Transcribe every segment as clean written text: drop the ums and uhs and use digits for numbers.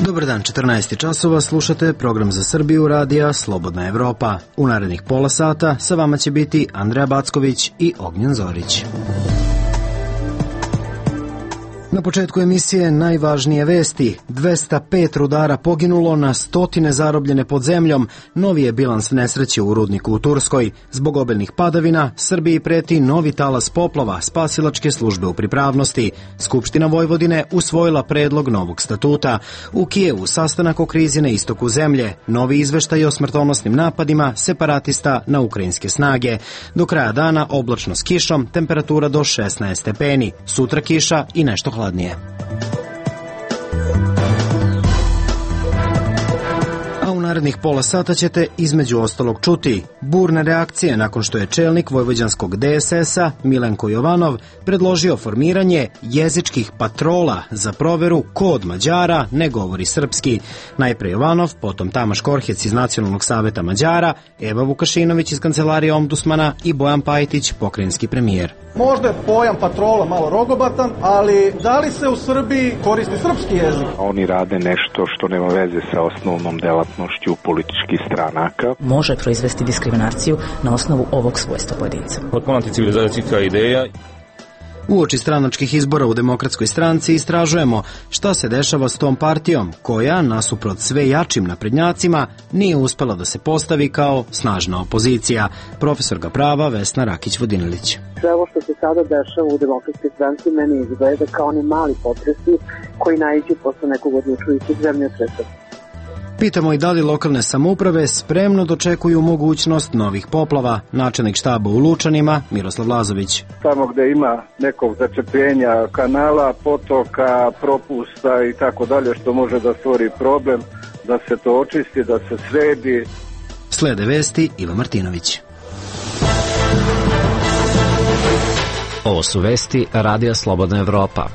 Dobar dan, 14 časova, slušate program za Srbiju radija Slobodna Evropa. U narednih pola sata sa vama će biti Andreja Backović i Ognjen Zorić. Na početku emisije najvažnije vesti. 205 rudara poginulo, na stotine zarobljene pod zemljom. Novi je bilans nesreće u rudniku u Turskoj. Zbog obilnih padavina, Srbiji preti novi talas poplava, spasilačke službe u pripravnosti. Skupština Vojvodine usvojila predlog novog statuta. U Kijevu sastanak o krizi na istoku zemlje. Novi izveštaj o smrtonosnim napadima separatista na ukrajinske snage. Do kraja dana oblačno s kišom, temperatura do 16 stepeni. Sutra kiša i nešto hladnije. A u narednih pola sata ćete između ostalog čuti burne reakcije nakon što je čelnik vojvođanskog DSS-a Milenko Jovanov predložio formiranje jezičkih patrola za proveru ko od Mađara ne govori srpski. Najpre Jovanov, potom Tamaš Korhec iz Nacionalnog saveta Mađara, Eva Vukašinović iz kancelarije ombudsmana i Bojan Pajtić, pokrajinski premijer. Možda je pojam patrola malo rogobatan, ali da li se u Srbiji koristi srpski jezik? Oni rade nešto što nema veze sa osnovnom delatnošću političkih stranaka. Može proizvesti diskriminaciju na osnovu ovog svojstva pojedinca. Potpuno anticivilizacijska ideja. Uoči stranačkih izbora u Demokratskoj stranci istražujemo šta se dešava s tom partijom koja, nasuprot sve jačim naprednjacima, nije uspela da se postavi kao snažna opozicija. Profesorka prava Vesna Rakić-Vodinilić. Sve ovo što se sada dešava u Demokratskoj stranci meni izgleda kao oni mali potresi koji naiđu posle nekog odlučujućeg zemljotresa. Pitamo i da li lokalne samouprave spremno dočekuju mogućnost novih poplava. Načelnik štaba u Lučanima, Miroslav Lazović. Tamo gde ima nekog začepljenja kanala, potoka, propusta i tako dalje što može da stvori problem, da se to očisti, da se sredi. Slede vesti Iva Martinović. Ovo su vesti Radija Slobodna Evropa.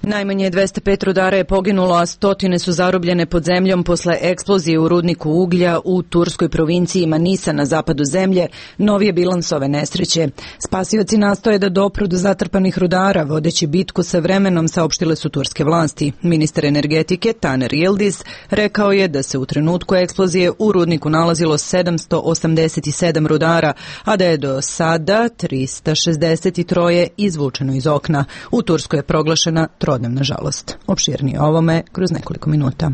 Najmanje 205 rudara je poginulo, a stotine su zarobljene pod zemljom posle eksplozije u rudniku uglja u turskoj provinciji Manisa na zapadu zemlje. Novi je bilans ove nesreće. Spasioci nastoje da dopru do zatrpanih rudara, vodeći bitku sa vremenom, saopštile su turske vlasti. Ministar energetike Taner Yildiz rekao je da se u trenutku eksplozije u rudniku nalazilo 787 rudara, a da je do sada 363 izvučeno iz okna. U Turskoj je proglašena trodnevna žalost. Opširnije o ovome kroz nekoliko minuta.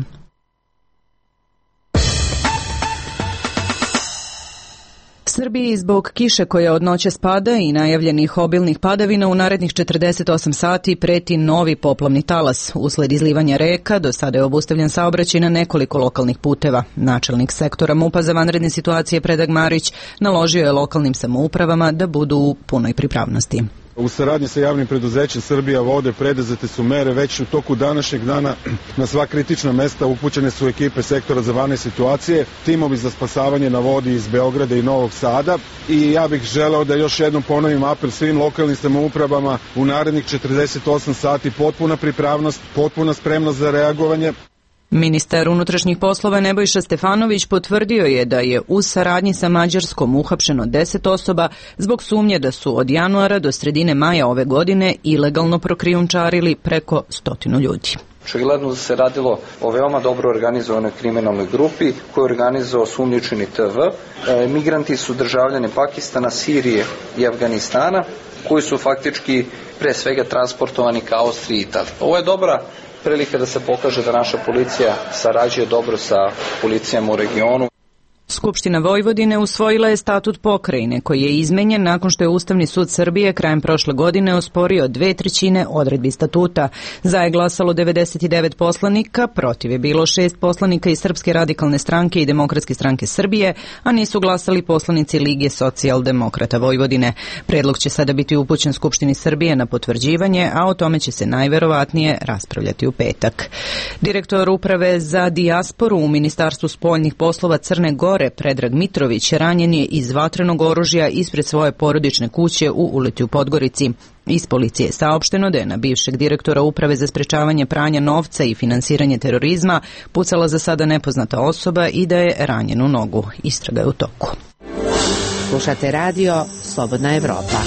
Srbiji zbog kiše koja od noće spada i najavljenih obilnih padavina u narednih 48 sati preti novi poplavni talas. Usled izlivanja reka do sada je obustavljen saobraćaj na nekoliko lokalnih puteva. Načelnik sektora MUP-a za vanredne situacije Predrag Marić naložio je lokalnim samoupravama da budu u punoj pripravnosti. U saradnji sa javnim preduzećem Srbija vode preduzete su mere već u toku današnjeg dana. Na sva kritična mesta upućene su ekipe sektora za vanredne situacije, timovi za spasavanje na vodi iz Beograda i Novog Sada. I ja bih želeo da još jednom ponovim apel svim lokalnim samoupravama u narednih 48 sati potpuna pripravnost, potpuna spremnost za reagovanje. Ministar unutrašnjih poslova Nebojša Stefanović potvrdio je da je u saradnji sa Mađarskom uhapšeno 10 osoba zbog sumnje da su od januara do sredine maja ove godine ilegalno prokrijumčarili preko 100 ljudi. Očigledno da se radilo o veoma dobro organizovanoj kriminalnoj grupi koju je organizovao sumnjičeni TV. Migranti su državljani Pakistana, Sirije i Afganistana koji su faktički pre svega transportovani ka Austriji i Italiji. Ovo je dobra prilika da se pokaže da naša policija sarađuje dobro sa policijama u regionu. Skupština Vojvodine usvojila je statut pokrajine koji je izmenjen nakon što je Ustavni sud Srbije krajem prošle godine osporio 2/3 odredbi statuta. Za je glasalo 99 poslanika, protiv je bilo 6 poslanika iz Srpske radikalne stranke i Demokratske stranke Srbije, a nisu glasali poslanici Lige socijaldemokrata Vojvodine. Predlog će sada biti upućen Skupštini Srbije na potvrđivanje, a o tome će se najverovatnije raspravljati u petak. Direktor uprave za dijasporu u Ministarstvu spoljnih poslova Crne Gore Predrag Mitrović ranjen je iz vatrenog oružja ispred svoje porodične kuće u Uleti u Podgorici. Iz policije je saopšteno da je na bivšeg direktora Uprave za sprečavanje pranja novca i finansiranje terorizma pucala za sada nepoznata osoba i da je ranjen u nogu. Istraga je u toku. Slušate radio Slobodna Evropa.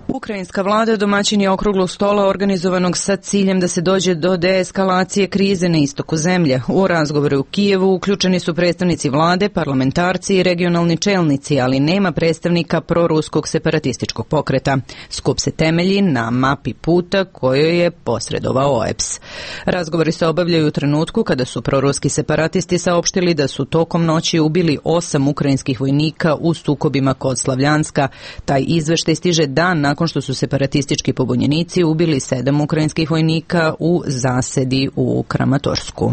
Ukrajinska vlada domaćin je okruglog stola organizovanog sa ciljem da se dođe do deeskalacije krize na istoku zemlje. U razgovoru u Kijevu uključeni su predstavnici vlade, parlamentarci i regionalni čelnici, ali nema predstavnika proruskog separatističkog pokreta. Skup se temelji na mapi puta kojoj je posredovao OEBS. Razgovori se obavljaju u trenutku kada su proruski separatisti saopštili da su tokom noći ubili 8 ukrajinskih vojnika u sukobima kod Slavljanska. Taj izveštaj stiže dan nakon što su separatistički pobunjenici ubili 7 ukrajinskih vojnika u zasedi u Kramatorsku.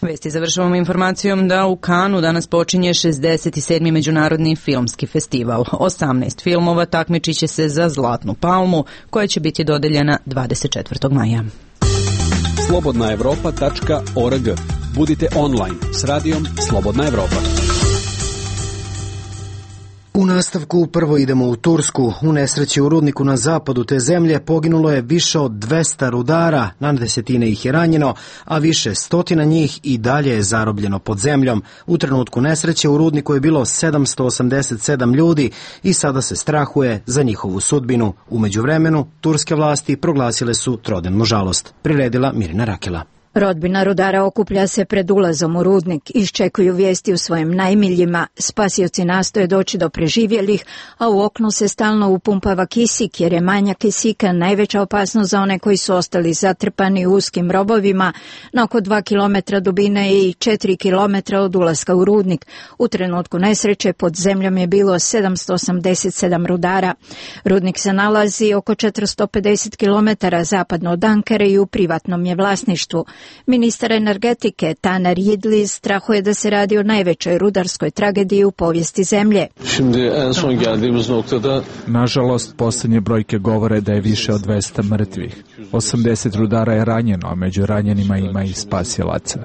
Vesti završavamo informacijom da u Kanu danas počinje 67. međunarodni filmski festival. 18 filmova takmičit će se za Zlatnu palmu, koja će biti dodeljena 24. maja. slobodnaevropa.org. Budite online s radijom Slobodna Evropa. U nastavku prvo idemo u Tursku. U nesreći u rudniku na zapadu te zemlje poginulo je više od 200 rudara, na desetine ih je ranjeno, a više stotina njih i dalje je zarobljeno pod zemljom. U trenutku nesreće u rudniku je bilo 787 ljudi i sada se strahuje za njihovu sudbinu. U međuvremenu, turske vlasti proglasile su trodnevnu žalost. Priredila Mirina Rakela. Rodbina rudara okuplja se pred ulazom u rudnik, iščekuju vijesti u svojim najmiljima, spasioci nastoje doći do preživjelih, a u oknu se stalno upumpava kisik, jer je manjak kisika najveća opasnost za one koji su ostali zatrpani u uskim robovima na oko 2 km dubine i 4 km od ulaska u rudnik. U trenutku nesreće pod zemljom je bilo 787 rudara. Rudnik se nalazi oko 450 km zapadno od Ankare i u privatnom je vlasništvu. Ministar energetike Taner Yildiz strahuje da se radi o najvećoj rudarskoj tragediji u povijesti zemlje. Nažalost, posljednje brojke govore da je više od 200 mrtvih. 80 rudara je ranjeno, a među ranjenima ima i spasilaca.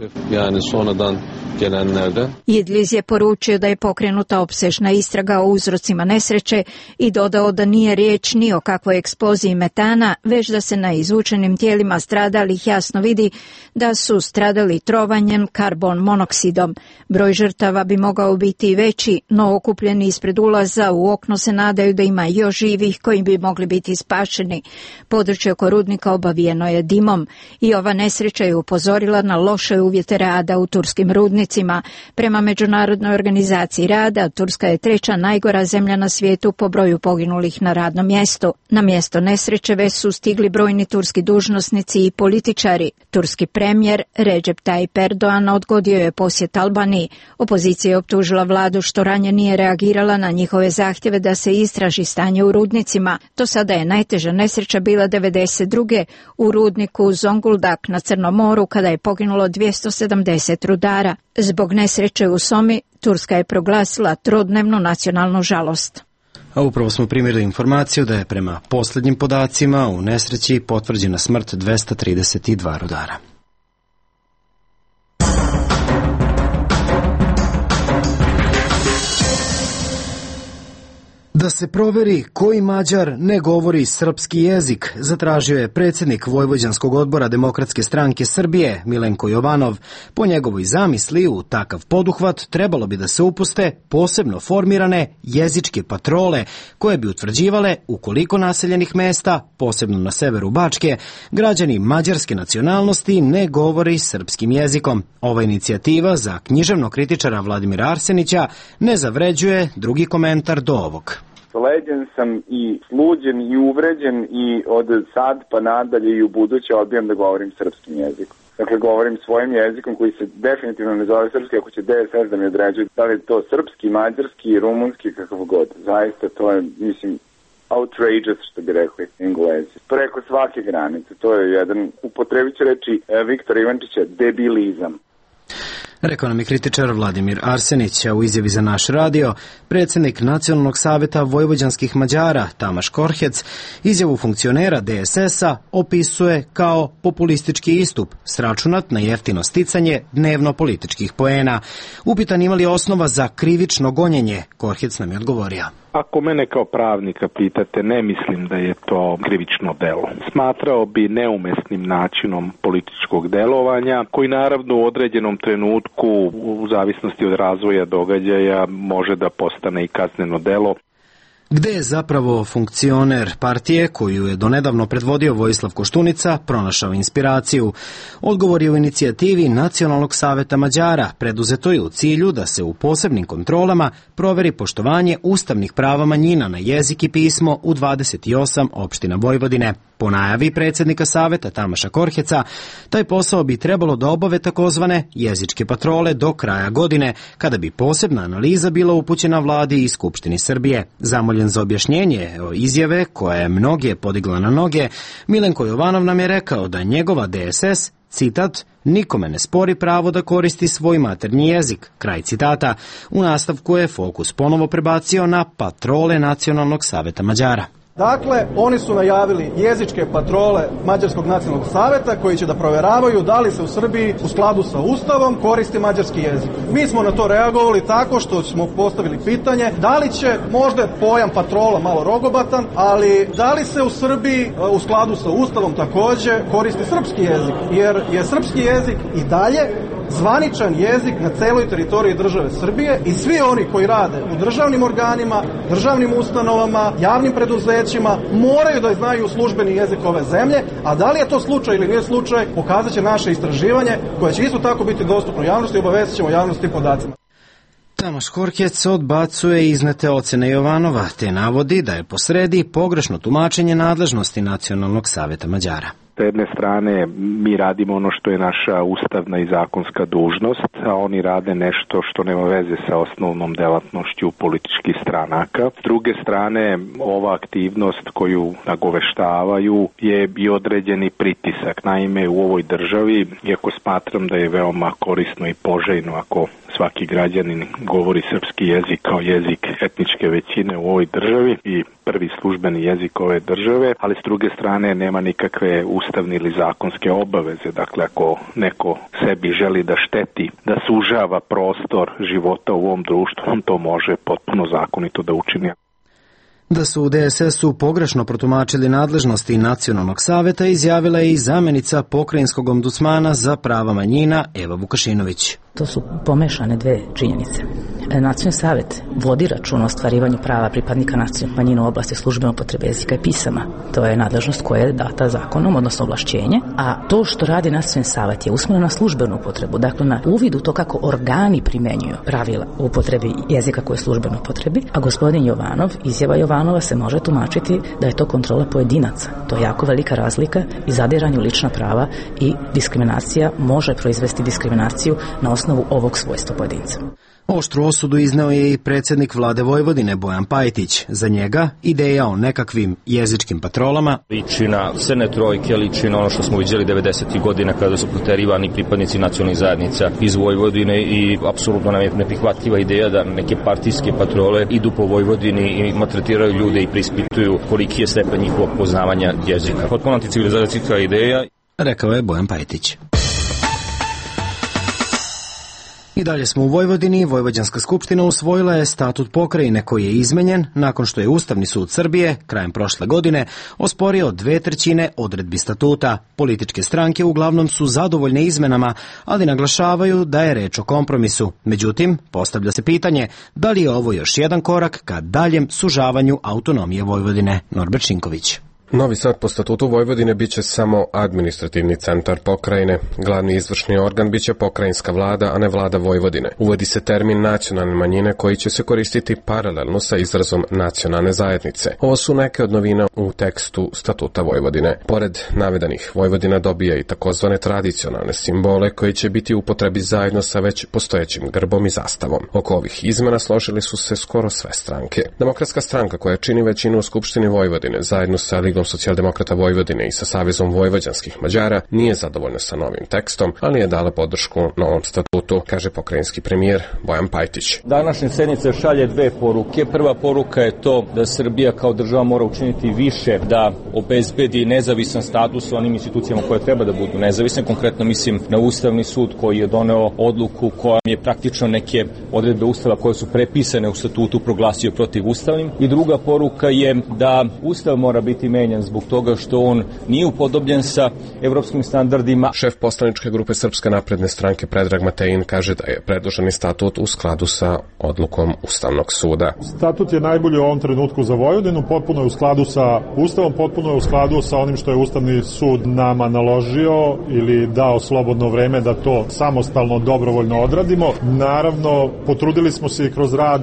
Yildiz je poručio da je pokrenuta opsežna istraga o uzrocima nesreće i dodao da nije riječ ni o kakvoj eksploziji metana, već da se na izvučenim tijelima stradalih jasno vidi da su stradali trovanjem karbon monoksidom. Broj žrtava bi mogao biti i veći, no okupljeni ispred ulaza u okno se nadaju da ima još živih koji bi mogli biti spašeni. Područje oko rudnika obavijeno je dimom i ova nesreća je upozorila na loše uvjete rada u turskim rudnicima. Prema Međunarodnoj organizaciji rada, Turska je 3. najgora zemlja na svijetu po broju poginulih na radnom mjestu. Na mjesto nesreće već su stigli brojni turski dužnosnici i političari. Turski premijer Recep Tayyip Erdogan odgodio je posjet Albaniji. Opozicija je optužila vladu što ranije nije reagirala na njihove zahtjeve da se istraži stanje u rudnicima. Do sada je najteža nesreća bila 1992. u rudniku Zonguldak na Crnom moru kada je poginulo 270 rudara. Zbog nesreće u Somi, Turska je proglasila trodnevnu nacionalnu žalost. A upravo smo primjerili informaciju da je prema posljednjim podacima u nesreći potvrđena smrt 232 rudara. Da se proveri koji Mađar ne govori srpski jezik, zatražio je predsjednik Vojvođanskog odbora Demokratske stranke Srbije, Milenko Jovanov. Po njegovoj zamisli, u takav poduhvat trebalo bi da se upuste posebno formirane jezičke patrole, koje bi utvrđivale u koliko naseljenih mesta, posebno na severu Bačke, građani mađarske nacionalnosti ne govori srpskim jezikom. Ova inicijativa za književnog kritičara Vladimira Arsenića ne zavređuje drugi komentar do ovog. Leđen sam i sluđen i uvređen i od sad pa nadalje i u buduće odbijam da govorim srpskim jezikom. Dakle, govorim svojim jezikom koji se definitivno ne zove srpski, ako će DSS da mi određuje da li je to srpski, mađarski, rumunski, kakav god. Zaista to je, mislim, outrageous, što bi rekli Englezi. Preko svake granice. To je jedan, upotrebit ću reći Viktora Ivančića, debilizam. Rekao nam je kritičar Vladimir Arsenić, a u izjavi za naš radio, predsjednik Nacionalnog savjeta vojvođanskih Mađara Tamaš Korhec izjavu funkcionera DSS-a opisuje kao populistički istup, sračunat na jeftino sticanje dnevno političkih poena. Upitan ima li osnova za krivično gonjenje, Korhec nam je odgovorio. Ako mene kao pravnika pitate, ne mislim da je to krivično delo. Smatrao bi neumesnim načinom političkog delovanja, koji naravno u određenom trenutku, u zavisnosti od razvoja događaja, može da postane i kazneno delo. Gde je zapravo funkcioner partije koju je donedavno predvodio Vojislav Koštunica pronašao inspiraciju? Odgovor je u inicijativi Nacionalnog saveta Mađara, preduzetoj u cilju da se u posebnim kontrolama proveri poštovanje ustavnih prava manjina na jezik i pismo u 28 opština Vojvodine. Po najavi predsjednika saveta Tamaša Korheca, taj posao bi trebalo da obave takozvane jezičke patrole do kraja godine, kada bi posebna analiza bila upućena vladi i Skupštini Srbije. Zamoljen za objašnjenje o izjave koja je mnoge podigla na noge, Milenko Jovanov nam je rekao da njegova DSS, citat, nikome ne spori pravo da koristi svoj maternji jezik, kraj citata. U nastavku je fokus ponovo prebacio na patrole Nacionalnog saveta Mađara. Dakle, oni su najavili jezičke patrole Mađarskog nacionalnog saveta koji će da proveravaju da li se u Srbiji u skladu sa Ustavom koristi mađarski jezik. Mi smo na to reagovali tako što smo postavili pitanje da li će, možda je pojam patrola malo rogobatan, ali da li se u Srbiji u skladu sa Ustavom takođe koristi srpski jezik, jer je srpski jezik i dalje zvaničan jezik na celoj teritoriji države Srbije i svi oni koji rade u državnim organima, državnim ustanovama, javnim preduzećima moraju da znaju službeni jezik ove zemlje, a da li je to slučaj ili nije slučaj, pokazat će naše istraživanje koje će isto tako biti dostupno javnosti i obavezat ćemo javnosti podacima. Tamaš Korhec odbacuje iznete ocene Jovanova, te navodi da je posredi pogrešno tumačenje nadležnosti Nacionalnog saveta Mađara. S jedne strane mi radimo ono što je naša ustavna i zakonska dužnost, a oni rade nešto što nema veze sa osnovnom delatnošću političkih stranaka. S druge strane, ova aktivnost koju nagoveštavaju je i određeni pritisak. Naime, u ovoj državi, iako smatram da je veoma korisno i poželjno ako svaki građanin govori srpski jezik kao jezik etničke većine u ovoj državi i prvi službeni jezik ove države, ali s druge strane nema nikakve ustavne ili zakonske obaveze. Dakle, ako neko sebi želi da šteti, da sužava prostor života u ovom društvu, on to može potpuno zakonito da učini. Da su u DSS-u pogrešno protumačili nadležnosti Nacionalnog saveta izjavila je i zamenica pokrajinskog ombudsmana za prava manjina Eva Vukašinović. To su pomešane dve činjenice. Nacionalni savet vodi račun o ostvarivanju prava pripadnika nacionalnih manjina u oblasti službene upotrebe jezika i pisama. To je nadležnost koja je data zakonom, odnosno ovlašćenje, a to što radi Nacionalni savet je usmereno na službenu upotrebu, dakle na uvid u to kako organi primenjuju pravila u upotrebi jezika koje je službeno upotrebi, a gospodin Jovanov, izjava Jovanova se može tumačiti da je to kontrola pojedinaca. To je jako velika razlika i zadiranje u lična prava i diskriminacija može proizvesti diskriminaciju na osnovu ovog svojstva pojedinca. Oštru osudu izneo je i predsjednik vlade Vojvodine Bojan Pajtić. Za njega ideja o nekakvim jezičkim patrolama liči na crne trojke, liči na ono što smo vidjeli 90. godina kada su proterivani pripadnici nacionalnih zajednica iz Vojvodine i apsolutno nam je neprihvatljiva ideja da neke partijske patrole idu po Vojvodini i maltretiraju ljude i preispituju koliki je stepen njihovog poznavanja jezika. Potpuno anticivilizacijska ideja, rekao je Bojan Pajtić. I dalje smo u Vojvodini. Vojvođanska skupština usvojila je statut pokrajine koji je izmenjen nakon što je Ustavni sud Srbije krajem prošle godine osporio 2/3 odredbi statuta. Političke stranke uglavnom su zadovoljne izmenama, ali naglašavaju da je reč o kompromisu. Međutim, postavlja se pitanje da li je ovo još jedan korak ka daljem sužavanju autonomije Vojvodine. Norbert Šinković. Novi Sad po statutu Vojvodine biće samo administrativni centar pokrajine. Glavni izvršni organ biće pokrajinska vlada, a ne vlada Vojvodine. Uvodi se termin nacionalne manjine koji će se koristiti paralelno sa izrazom nacionalne zajednice. Ovo su neke od novina u tekstu statuta Vojvodine. Pored navedenih, Vojvodina dobija i takozvane tradicionalne simbole koji će biti u upotrebi zajedno sa već postojećim grbom i zastavom. Oko ovih izmena složili su se skoro sve stranke. Demokratska stranka koja čini većinu u Skupštini Vojvodine zajedno sa Ligom socijaldemokrata Vojvodine i sa Savezom vojvođanskih Mađara nije zadovoljna sa novim tekstom, ali je dala podršku novom statutu, kaže pokrajinski premijer Bojan Pajtić. Današnja sednica šalje dve poruke. Prva poruka je to da Srbija kao država mora učiniti više da obezbedi nezavisan status onim institucijama koje treba da budu nezavisne. Konkretno mislim na Ustavni sud koji je doneo odluku kojom je praktično neke odredbe Ustava koje su prepisane u statutu proglasio protivustavnim. I druga poruka je da Ustav mora biti menjan zabranjen zbog toga što on nije upodobljen sa evropskim standardima. Šef poslaničke grupe Srpske napredne stranke Predrag Matejin kaže da je predloženi statut u skladu sa odlukom Ustavnog suda. Statut je najbolji u ovom trenutku za Vojvodinu, potpuno je u skladu sa Ustavom, potpuno je u skladu sa onim što je Ustavni sud nama naložio ili dao slobodno vreme da to samostalno, dobrovoljno odradimo. Naravno, potrudili smo se i kroz rad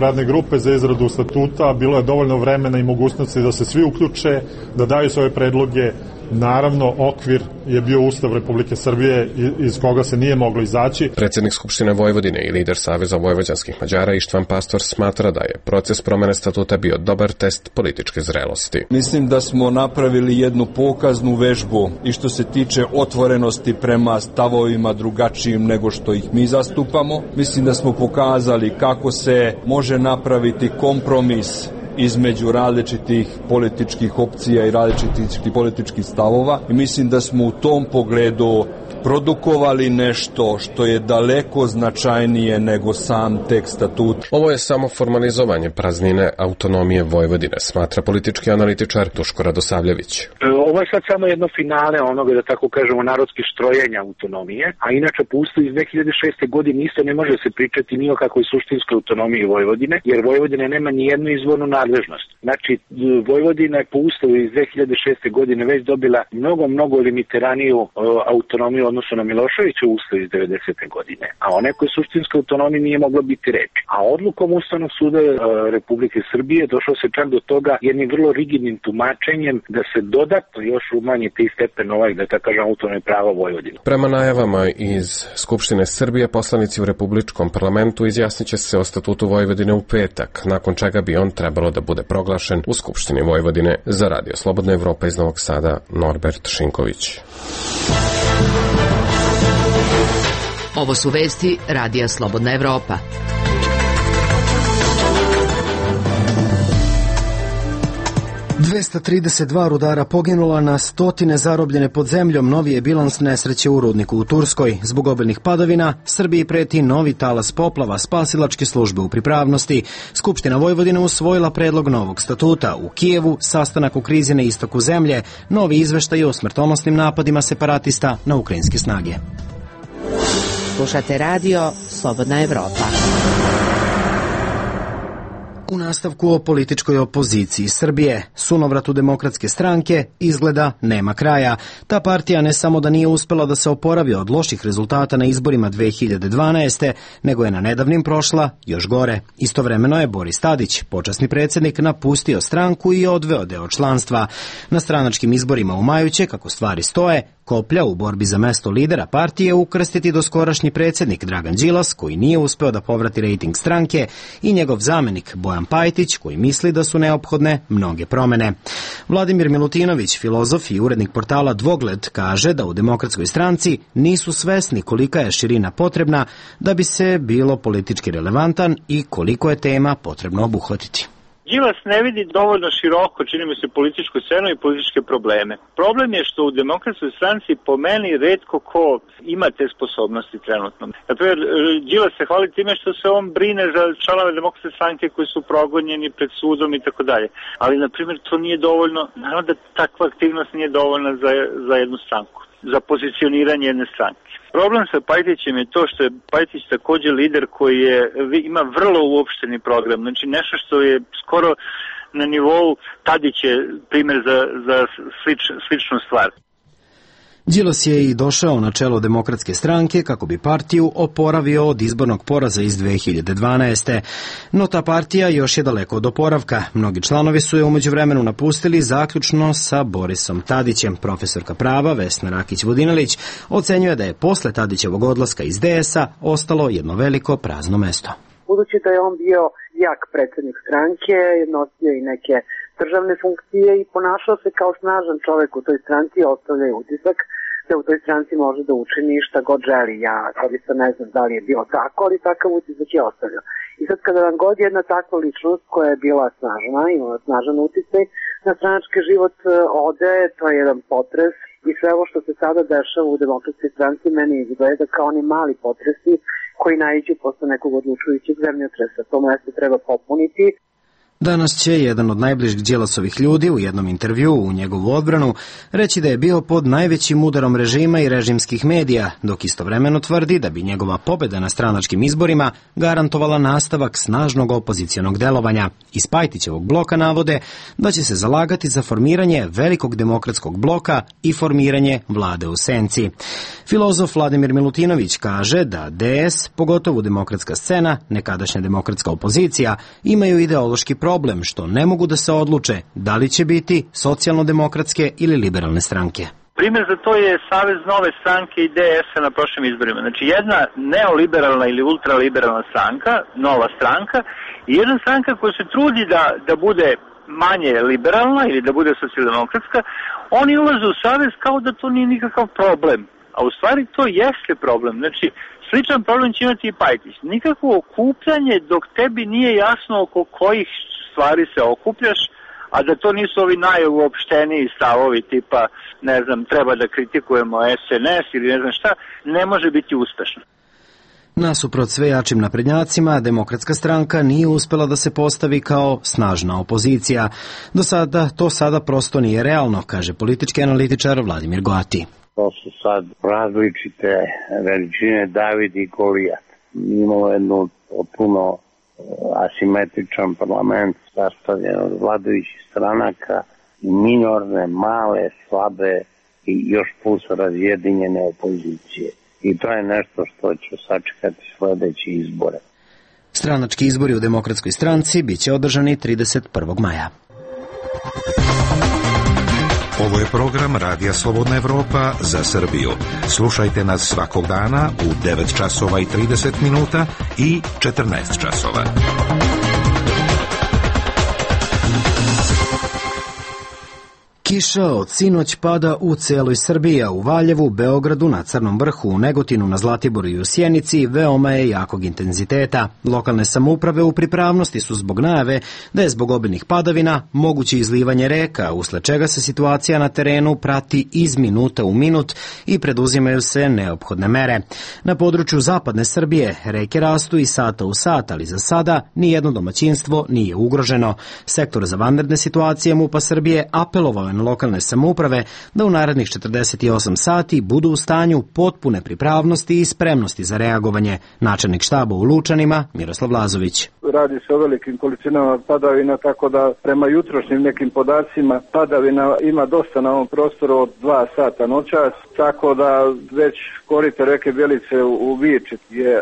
radne grupe za izradu statuta, bilo je dovoljno vremena i mogućnosti da se svi uključe, da daju svoje predloge. Naravno, okvir je bio Ustav Republike Srbije iz koga se nije moglo izaći. Predsjednik Skupštine Vojvodine i lider Saveza vojvođanskih Mađara Ištvan Pastor smatra da je proces promene statuta bio dobar test političke zrelosti. Mislim da smo napravili jednu pokaznu vežbu i što se tiče otvorenosti prema stavovima drugačijim nego što ih mi zastupamo. Mislim da smo pokazali kako se može napraviti kompromis između različitih političkih opcija i različitih političkih stavova i mislim da smo u tom pogledu produkovali nešto što je daleko značajnije nego sam tekst statuta. Ovo je samo formalizovanje praznine autonomije Vojvodine, smatra politički analitičar Duško Radosavljević. Ovo je sad samo jedno finale onoga, da tako kažemo, narodskih štrojenja autonomije, a inače po Ustavu iz 2006. godine isto ne može se pričati ni o kakvoj suštinskoj autonomiji Vojvodine, jer Vojvodina nema ni jednu izvornu nadležnost. Znači, Vojvodina je po Ustavu iz 2006. godine već dobila mnogo limiteraniju autonomiju odnosno na Miloševiću Ustav iz 90. godine, a o nekoj suštinskoj autonomiji nije moglo biti reči. A odlukom Ustavnog suda Republike Srbije došlo se čak do toga jednim vrlo rigidnim tumačenjem da se dodatno još umanji taj stepen da tako kažem autonomije prava Vojvodine. Prema najavama iz Skupštine Srbije, poslanici u Republičkom parlamentu izjasniće se o statutu Vojvodine u petak, nakon čega bi on trebalo da bude proglašen u Skupštini Vojvodine. Za Radio Slobodna Evropa iz Novog Sada, Norbert Šinković. Ovo su vesti Radija Slobodna Evropa. ...232 rudara poginula, na stotine zarobljene pod zemljom, novi je bilans nesreće u rudniku u Turskoj. Zbog obilnih padavina, Srbiji preti novi talas poplava, spasilačke službe u pripravnosti. Skupština Vojvodine usvojila predlog novog statuta. U Kijevu, sastanak u krizi na istoku zemlje, novi izveštaj o smrtonosnim napadima separatista na ukrajinske snage. Slušate radio Slobodna Evropa. U nastavku o političkoj opoziciji Srbije, sunovratu Demokratske stranke izgleda nema kraja. Ta partija ne samo da nije uspela da se oporavi od loših rezultata na izborima 2012. nego je na nedavnim prošla još gore. Istovremeno je Boris Tadić, počasni predsjednik, napustio stranku i odveo deo članstva. Na stranačkim izborima u maju će, kako stvari stoje, koplja u borbi za mesto lidera partije ukrstiti doskorašnji predsjednik Dragan Đilas, koji nije uspeo da povrati rejting stranke, i njegov zamenik Bojan Pajtić, koji misli da su neophodne mnoge promene. Vladimir Milutinović, filozof i urednik portala Dvogled, kaže da u Demokratskoj stranci nisu svesni kolika je širina potrebna da bi se bilo politički relevantan i koliko je tema potrebno obuhvatiti. Đilas ne vidi dovoljno široko, čini mi se, političku scenu i političke probleme. Problem je što u Demokratskoj stranci po meni retko ko ima te sposobnosti trenutno. Naprimjer, Đilas se hvali time što se on brine za članove Demokratske stranke koji su progonjeni pred sudom i tako dalje. Ali, na primjer, to nije dovoljno, naravno da takva aktivnost nije dovoljna za jednu stranku, za pozicioniranje jedne stranke. Problem sa Pajtićem je to što je Pajtić također lider koji ima vrlo uopšteni program, znači nešto što je skoro na nivou Tadić je primjer za sličnu stvar. Đilas je i došao na čelo Demokratske stranke kako bi partiju oporavio od izbornog poraza iz 2012. No ta partija još je daleko od oporavka. Mnogi članovi su je u međuvremenu napustili, zaključno sa Borisom Tadićem. Profesorka prava Vesna Rakić-Vodinelić ocenjuje da je posle Tadićevog odlaska iz DS-a ostalo jedno veliko prazno mesto. Budući da je on bio jak predsjednik stranke, nosio i neke državne funkcije i ponašao se kao snažan čovjek u toj stranci, ostavlja je utisak da u toj stranci može da učini šta god želi. Ja sad ne znam da li je bilo tako, ali takav utisak je ostavljao. I sad kada vam god jedna takva ličnost koja je bila snažna, imala snažan uticaj na stranački život ode, to je jedan potres. I sve ovo što se sada dešava u Demokratskoj stranci meni izgleda kao oni mali potresi koji naiđu posle nekog odlučujućeg zemljotresa. To mesto treba popuniti. Danas će jedan od najbližih Đilasovih ljudi u jednom intervjuu u njegovu odbranu reći da je bio pod najvećim udarom režima i režimskih medija, dok istovremeno tvrdi da bi njegova pobeda na stranačkim izborima garantovala nastavak snažnog opozicionog delovanja. Iz Pajtićevog bloka navode da će se zalagati za formiranje velikog demokratskog bloka i formiranje vlade u senci. Filozof Vladimir Milutinović kaže da DS, pogotovo demokratska scena, nekadašnja demokratska opozicija, imaju ideološki problem što ne mogu da se odluče da li će biti socijalno-demokratske ili liberalne stranke. Primjer za to je Savez nove stranke i DS-a na prošlim izborima. Znači jedna neoliberalna ili ultraliberalna stranka, nova stranka, i jedna stranka koja se trudi da bude manje liberalna ili da bude socijaldemokratska, oni ulaze u savez kao da to nije nikakav problem. A u stvari to jeste problem. Znači, sličan problem će imati i Pajtić. Nikakvo okupljanje dok tebi nije jasno oko kojih stvari se okupljaš, a da to nisu ovi najuopšteniji stavovi tipa, ne znam, treba da kritikujemo SNS ili ne znam šta, ne može biti uspešno. Nasuprot sve jačim naprednjacima, Demokratska stranka nije uspela da se postavi kao snažna opozicija. Do sada to prosto nije realno, kaže politički analitičar Vladimir Goati. To su sad različite veličine David i Golijat. Imamo jednu potpuno asimetričan parlament sastavljen od vladajućih stranaka i minorne, male, slabe i još plus razjedinjene opozicije. I to je nešto što će sačekati sledeće izbore. Stranački izbori u Demokratskoj stranci biće održani 31. maja. Ovo je program Radija Slobodna Evropa za Srbiju. Slušajte nas svakog dana u 9 časova i 30 minuta i 14 časova. Kiša od sinoć pada u celoj Srbiji, a u Valjevu, Beogradu, na Crnom vrhu, u Negotinu, na Zlatiboru i u Sjenici veoma je jakog intenziteta. Lokalne samouprave u pripravnosti su zbog najave da je zbog obilnih padavina moguće izlivanje reka, usled čega se situacija na terenu prati iz minuta u minut i preduzimaju se neophodne mere. Na području zapadne Srbije reke rastu i sata u sat, ali za sada nijedno domaćinstvo nije ugroženo. Sektor za vanredne situacije MUP-a Srbije apelovao je na lokalne samouprave da u narednih 48 sati budu u stanju potpune pripravnosti i spremnosti za reagovanje. Načelnik štaba u Lučanima, Miroslav Lazović. Radi se o velikim količinama padavina, tako da prema jutrošnjim nekim podacima padavina ima dosta na ovom prostoru od 2 sata noćas, tako da već korito reke Bjelice u Viči je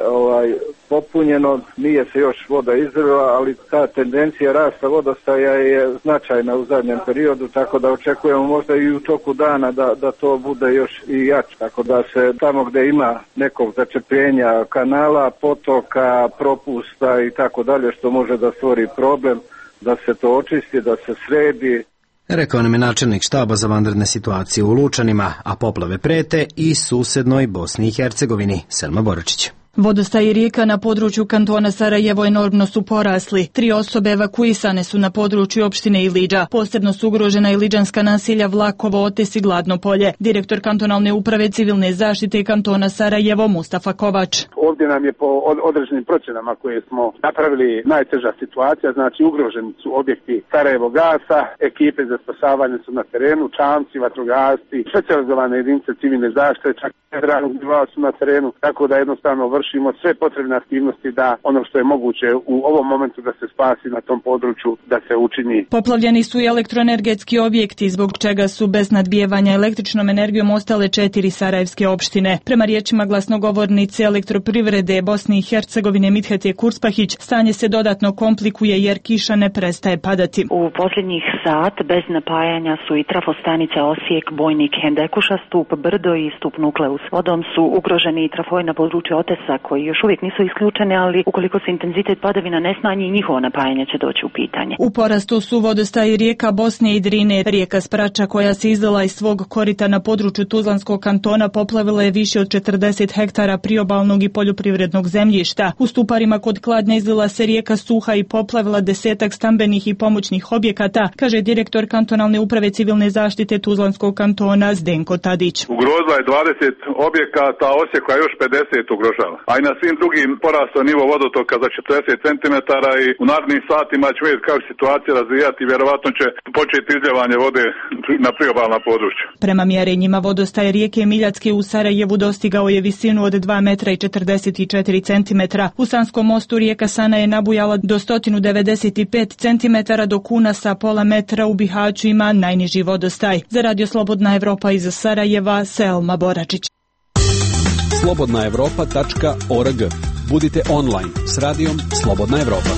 popunjeno, nije se još voda izlila, ali ta tendencija rasta vodostaja je značajna u zadnjem periodu, tako da očekujemo možda i u toku dana da to bude još i jače, tako da se tamo gde ima nekog začepljenja kanala, potoka, propusta i tako dalje, što može da stvori problem, da se to očisti, da se sredi. Rekao nam je načelnik štaba za vanredne situacije u Lučanima, a poplave prete i susednoj Bosni i Hercegovini. Selma Boračić. Vodostaji rijeka na području kantona Sarajevo enormno su porasli. 3 osobe evakuisane su na području opštine Ilidža. Posebno su ugrožena iliđanska naselja Vlakovo, Otes i Gladno polje. Direktor kantonalne uprave civilne zaštite kantona Sarajevo Mustafa Kovač. Ovdje nam je po određenim procjenama koje smo napravili najteža situacija, znači ugroženi su objekti Sarajevo gasa, ekipe za spasavanje su na terenu, čamci, vatrogasci, specijalizovane jedinice civilne zaštite, čak federalnog nivoa su na terenu, tako da jednostavno vršimo sve potrebne aktivnosti da ono što je moguće u ovom momentu da se spasi na tom području, da se učini. Poplavljeni su i elektroenergetski objekti, zbog čega su bez nadbijevanja električnom energijom ostale 4 sarajevske opštine. Prema riječima glasnogovornice elektroprivrede Bosne i Hercegovine Midhete Kurspahić, stanje se dodatno komplikuje jer kiša ne prestaje padati. U posljednjih sat bez napajanja su i trafostanica Osijek, Bojnik, Hendekuša, Stup Brdo i Stup Nukleus. Vodom su ugroženi i trafovi na području Otesa koji još uvijek nisu isključene, ali ukoliko se intenzitet padavina ne smanji, njihovo napajanje će doći u pitanje. U porastu su vodostaji rijeka Bosne i Drine. Rijeka Sprača koja se izlila iz svog korita na području Tuzlanskog kantona poplavila je više od 40 hektara priobalnog i poljoprivrednog zemljišta. U Stuparima kod Kladnja izlila se rijeka Suha i poplavila 10 stambenih i pomoćnih objekata, kaže direktor kantonalne uprave civilne zaštite Tuzlanskog kantona Zdenko Tadić. Ugrozila je 20 objekata, Osijeka još 50 ugrožava. a i na svim drugim porastao nivo vodotoka za 40 cm i u narednim satima ćemo vidjeti kako se situacija razvijati i vjerovatno će početi izljevanje vode na priobalna područja. Prema mjerenjima vodostaj rijeke Miljacke u Sarajevu dostigao je visinu od 2 metra i 44 centimetra. U Sanskom mostu rijeka Sana je nabujala do 195 centimetara, dok Unasa pola metra u Bihaću ima najniži vodostaj. Za Radio Slobodna Evropa iz Sarajeva, Selma Boračić. slobodnaevropa.org. Budite online s radijom Slobodna Evropa.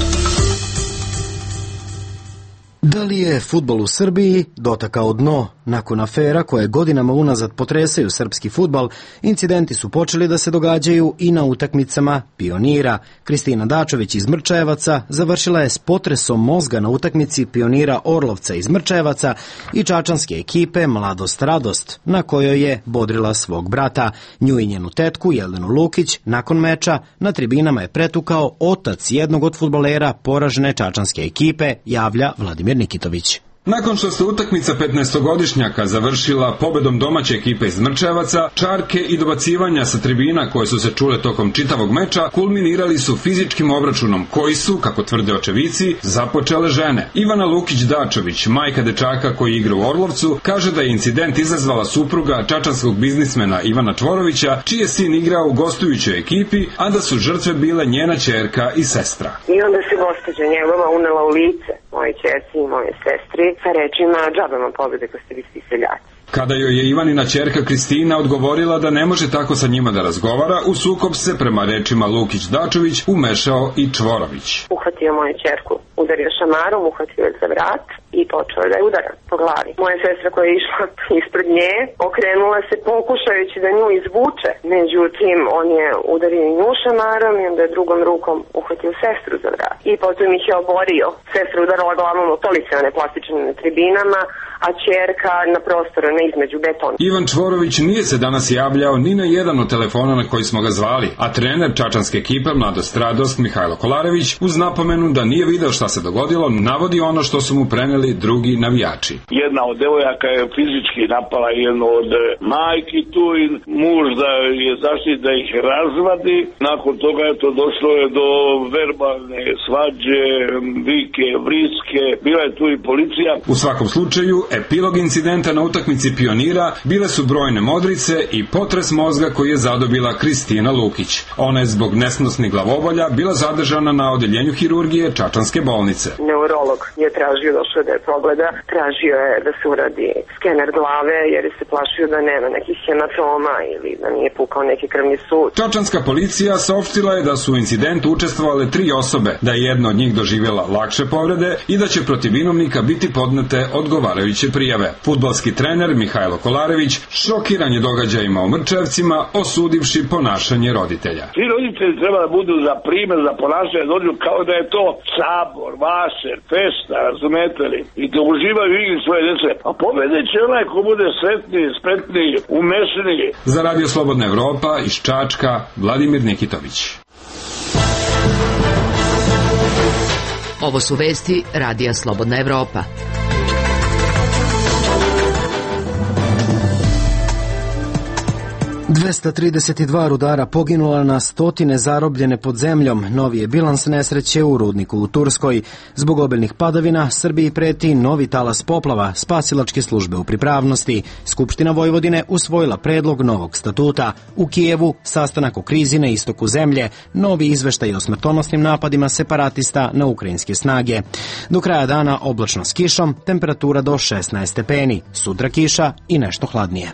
Da li je fudbal u Srbiji dotakao dno? Nakon afera koje godinama unazad potresaju srpski fudbal, incidenti su počeli da se događaju i na utakmicama Pionira. Kristina Dačović iz Mrčajevaca završila je s potresom mozga na utakmici Pionira Orlovca iz Mrčajevaca i čačanske ekipe Mladost Radost, na kojoj je bodrila svog brata. Nju i njenu tetku Jelenu Lukić nakon meča na tribinama je pretukao otac jednog od fudbalera poražene čačanske ekipe, javlja Vladimir Nikitović. Nakon što se utakmica 15-godišnjaka završila pobedom domaće ekipe iz Mrčajevaca, čarke i dobacivanja sa tribina koje su se čule tokom čitavog meča kulminirali su fizičkim obračunom koji su, kako tvrde očevici, započele žene. Ivana Lukić-Dačović, majka dečaka koji igra u Orlovcu, kaže da je incident izazvala supruga čačanskog biznismena Ivana Čvorovića, čiji je sin igrao u gostujućoj ekipi, a da su žrtve bile njena ćerka i sestra. I onda se gospođa njegova unela u lice moje ćerci i moje sestri sa rečima džabama pobjede ko ste vi svi seljaci. Kada joj je Ivanina ćerka Kristina odgovorila da ne može tako sa njima da razgovara, u sukob se, prema rečima Lukić-Dačović, umešao i Čvorović. Uhvatio moju ćerku, udario šamarom, uhvatio je za vrat i počeo da je udara po glavi. Moja sestra koja je išla ispred nje, okrenula se pokušajući da nju izvuče. Međutim, on je udario nju šamarom i onda je drugom rukom uhvatio sestru za vrat. I potom ih je oborio. Sestra udarala glavom o police, one plastične na tribinama, a ćerka na prostoru, ne između betona. Ivan Čvorović nije se danas javljao ni na jedan od telefona na koji smo ga zvali, a trener čačanske ekipe Mladost Radost Mihajlo Kolarević, uz napomenu da nije video šta se dogodilo, navodi ono što su mu preneli drugi navijači. Jedna od devojaka je fizički napala jednu od majki tu i muž da je zaštiti da ih razvadi. Nakon toga je to došlo do verbalne svađe, vike, vriske, bila je tu i policija. U svakom slučaju, epilog incidenta na utakmici Pionira bile su brojne modrice i potres mozga koji je zadobila Kristina Lukić. Ona je zbog nesnosnih glavobolja bila zadržana na odeljenju hirurgije čačanske bolnice. Neurolog je tražio, došao da je pogleda, tražio je da se uradi skener glave jer se plašio da nema nekih hematoma ili da nije pukao neki krvni sud. Čačanska policija saopštila je da su u incidentu učestvovale 3 osobe, da je jedna od njih doživjela lakše povrede i da će protiv vinovnika biti podnete odgovarajuće prijave. Fudbalski trener Mihajlo Kolarević šokiran je događajima u Mrčevcima, osudivši ponašanje roditelja. Svi roditelji treba da budu za primjer, za ponašanje, dođu kao da je to sabor, vašer, festa, razumete li? I da uživaju igri svoje djece. A pobedit će onaj ko bude sretniji, spretniji, umešniji. Za Radio Slobodna Evropa iz Čačka, Vladimir Nikitović. Ovo su vesti Radija Slobodna Evropa. 232 rudara poginula, na stotine zarobljene pod zemljom. Novi je bilans nesreće u rudniku u Turskoj. Zbog obilnih padavina Srbiji preti novi talas poplava, spasilačke službe u pripravnosti. Skupština Vojvodine usvojila predlog novog statuta. U Kijevu sastanak o krizi na istoku zemlje, novi izveštaj o smrtonosnim napadima separatista na ukrajinske snage. Do kraja dana oblačno s kišom, temperatura do 16 stepeni, sutra kiša i nešto hladnije.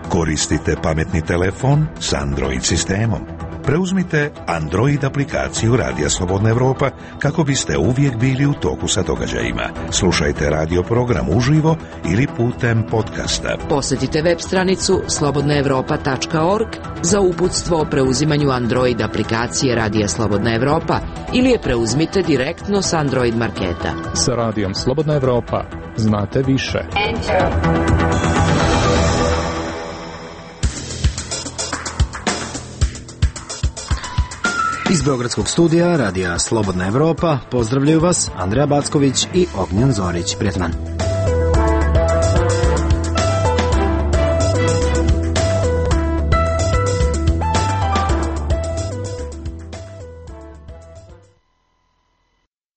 Koristite pametni telefon s Android sistemom. Preuzmite Android aplikaciju Radija Slobodna Evropa kako biste uvijek bili u toku sa događajima. Slušajte radio program uživo ili putem podcasta. Posjetite web stranicu slobodnaevropa.org za uputstvo o preuzimanju Android aplikacije Radija Slobodna Evropa ili je preuzmite direktno s Android marketa. Sa Radijom Slobodna Evropa znate više. Iz Beogradskog studija Radija Slobodna Evropa pozdravljaju vas Andreja Backović i Ognjen Zorić. Prijatno.